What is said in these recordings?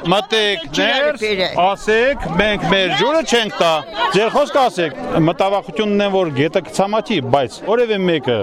Մտեք ասեք, մենք մեր ջուրը չենք տա, ձեր խոսքը ասեք, մտավախությունն է, որ գետը կցամաքի, բայց որևէ մեկը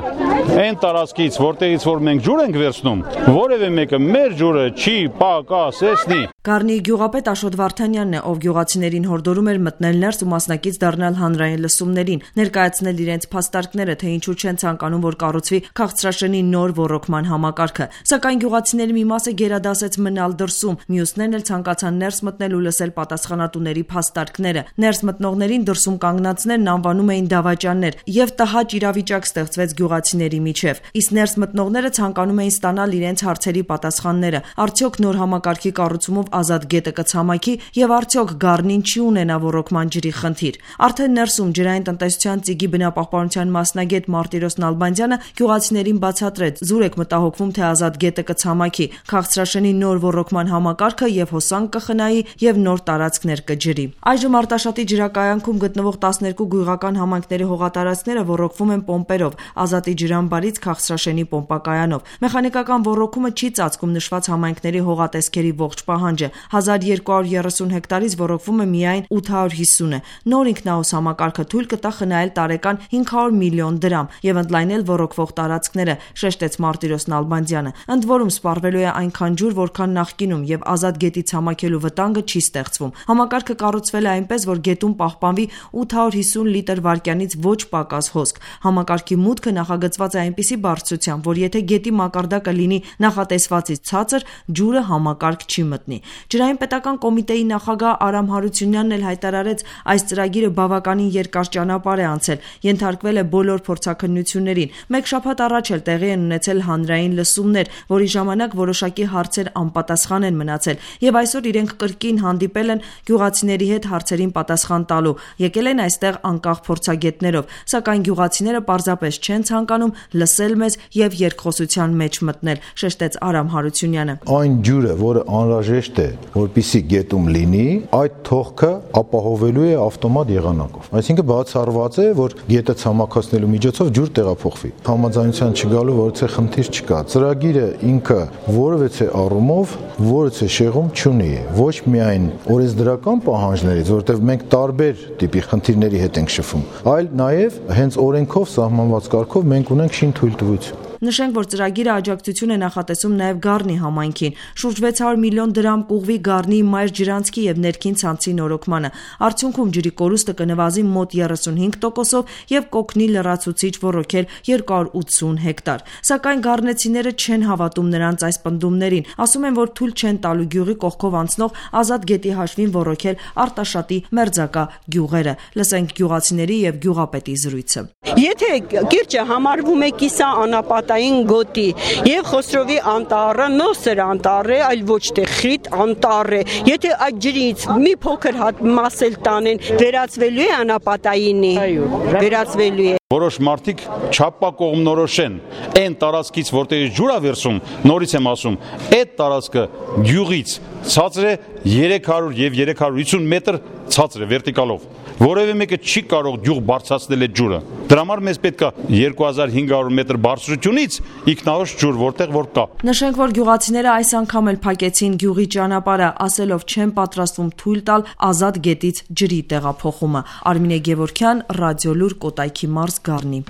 այն տարածքից, որտեղից որ մենք ջուր ենք վերցնում, որևէ մեկը մեր ջուրը չի պակասեցնի։ Գառնի գյուղապետ Աշոտ Վարդանյանն է, ով գյուղացիներին հորդորում էր մտնել ներս ու մասնակից դառնալ հանրային լսումներին, ներկայացնել իրենց փաստարկները, թե ինչու չեն ցանկանում, որ կառուցվի քաղցրաշենի նոր ոռոգման համակարգը։ Սակայն գյուղացիների մի մասը գերադասեց մնալ դրսում, մյուսներն էլ ցանկացան ներս մտնել ու լսել պատասխանատուների փաստարկները։ Ներս մտնողներին դրսում կանգնածներն անվանում էին դավաճաններ, եւ տհաճ իրավիճակ ստեղծվեց գյուղացիների միջև։ Իսկ ներս մտնողները ցանկանում էին ստանալ իրենց հարցերի պատասխանները։ Արդյոք նոր համակարգի կառուցումով ազատ գետը կցամաքի եւ արդյոք Գառնին չի ունենա ոռոգման ջրի խնդիր։ Արդեն ներսում ջրային տնտեսության ծիգի բնապահպանության մասնագետ Մարտիրոս Նալբանդյանը գյուղացիներին բացատրեց՝ զուր եք մտահոգվում, թե ազատ գետը կցամաքի, քաղցրաշենի նոր ոռոգման համակարգը եւ հոսանք կխնայի եւ նոր տարածքներ կջրի։ Այժմ Արտաշատի ջրակայանքում գտնվող 12 գյուղական համայնքների հողատարածքները ոռոգվում են պոմպերով, Ազատի ջրամբարից քաղցրաշենի պոմպակայանով։ Մեխանիկական ոռոգումը չի ծածկում նշված համայնքների հողատեսքերի ողջ պահանջը։ 1230 հեկտարից ոռոգվում է միայն 850-ը։ Նոր ինքնահոս համակարգը թույլ կտա խնայել տարեկան 500 միլիոն դրամ եւ ընդլայնել ոռոգվող տարածքները, շեշտեց Մարտիրոս Նալբանդյանը։ Ընդ որում սպառվելու է այնքան ջուր, որքան նախկինում եւ ազատ գետի ցամաքելու վտանգը չի ստեղծվում։ Համակարգը կառուցվել է այնպես, որ գետում պահպանվի 850 լիտր վայրկյանից ոչ պակաս հոսք։ Համակարգի մուտքը նախագծված է այնպիսի բարձրությամբ, որ եթե գետի մակարդակը լինի նախատեսվածից ցածր, ջուրը համակարգ չի մտնի։ Ջրային պետական կոմիտեի նախագահ Արամ Հարությունյանն էլ հայտարարեց, այս ծրագիրը բավականին երկար ճանապարհ է անցել, ենթարկվել է բոլոր փորձաքննություններին։ Մեկ շաբաթ առաջ էլ տեղի են ունեցել հանրային լսումներ, որի ժամանակ որոշակի հարցեր անպատասխան են մնացել, եւ այսօր իրենք կրկին հանդիպել են գյուղացիների հետ հարցերին պատասխան տալու։ Եկել են այստեղ անկախ փորձագետներով, սակայն գյուղացիները պարզապես չեն ցանկանում լսել մեզ եւ երկխոսության մեջ մտնել, շեշտեց Արամ Հարությունյանը։ Այն ջուրը, որը անհրաժեշտ է, որպեսզի գետում լինի, այդ թողքը ապահովելու է ավտոմատ եղանակով։ Այսինքն բացառված է, որ գետը ցամաքացնելու միջոցով ջուր տեղափոխվի։ Համաձայնության չգալու որևէ խնդիր չկա։ Ծրագիրը ինքը որևէ առումով որևէ շեղում չունի, ոչ միայն օրենսդրական պահանջներից, որովհետև մենք տարբեր տիպի խնդիրների հետ ենք շփվում, այլ նաև հենց օրենքով սահմանված կարգով մենք ունենք շինթույլտվություն։ Նշենք, որ ծրագիրը աջակցություն է նախատեսում նաև Գառնի համայնքին։ Շուրջ 600 միլիոն դրամ կուղվի Գառնի մայր ջրանցքի եւ ներքին ցանցի նորոգմանը։ Արդյունքում ջրի կորուստը կնվազի մոտ 35%-ով եւ կօգնի լրացուցիչ ոռոգել 280 հեկտար։ Սակայն գառնեցիները չեն հավատում նրանց այս պնդումներին։ Ասում են, որ թույլ չեն տալու գյուղի կողքով անցնող ազատ գետի հաշվին ոռոգել Արտաշատի մերձակա գյուղերը։ Լսենք գյուղացիների եւ գյուղապետի զրույցը։ Եթե կիրճը համարվում է կիսա անապատային գոտի եւ Խոսրովի անտառը նոսր անտառ է, այլ ոչ թե խիտ անտառ է։ Եթե այդ ջրից մի փոքր մաս էլ տանեն, վերածվելու է անապատայինի, վերածվելու է։ Որոշ մարդիկ չափակողմնորոշեն այն տարածքից, որտեղից ջուր է վերցում, նորից եմ ասում, այդ տարածքը գյուղից ցածր է 300 եւ 350 մետր ցածր է վերտիկալով։ Որևէ մեկը չի կարող գյուղ բարձրացնել այդ ջուրը։ Դրա համար մեզ պետք է 2500 մետր բարձրությունից ինքնահոս ջուր, որտեղ որ կա։ Նշենք, որ գյուղացիները այս անգամ էլ փակեցին գյուղի ճանապարհը, ասելով չեն պատրաստվում թույլ տալ ազատ գետից ջրի տեղափոխումը։ Արմինե Գևորգյան, Ռադիոլուր, Կոտայքի մարզ, Գառնի։